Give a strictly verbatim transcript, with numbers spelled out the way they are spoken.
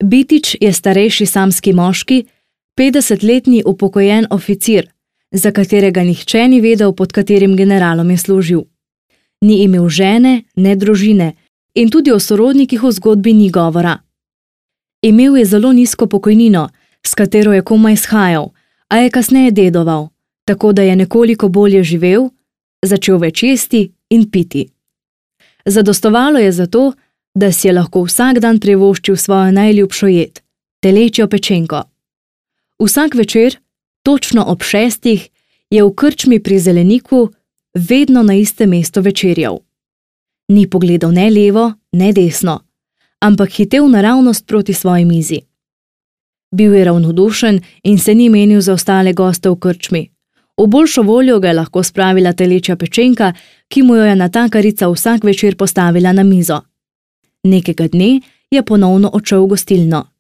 Bitič je starejši samski moški, petdesetletni upokojen oficir, za katerega nihče ni vedel, pod katerim generalom je služil. Ni imel žene, ne družine in tudi o sorodnikih v zgodbi ni govora. Imel je zelo nizko pokojnino, s katero je komaj shajal, a je kasneje dedoval, tako da je nekoliko bolje živel, začel več jesti in piti. Zadostovalo je zato, da si je lahko vsak dan privoščil svojo najljubšo jed, telečjo pečenko. Vsak večer, točno ob šestih, je v krčmi pri Zeleniku vedno na istem mestu večerjal. Ni pogledal ne levo, ne desno, ampak hitel naravnost proti svoji mizi. Bil je ravnodušen in se ni menil za ostale goste v krčmi. V boljšo voljo ga je lahko spravila telečja pečenka, ki mu jo je natakarica vsak večer postavila na mizo. Nekega dne je ponovno odšel v gostilno.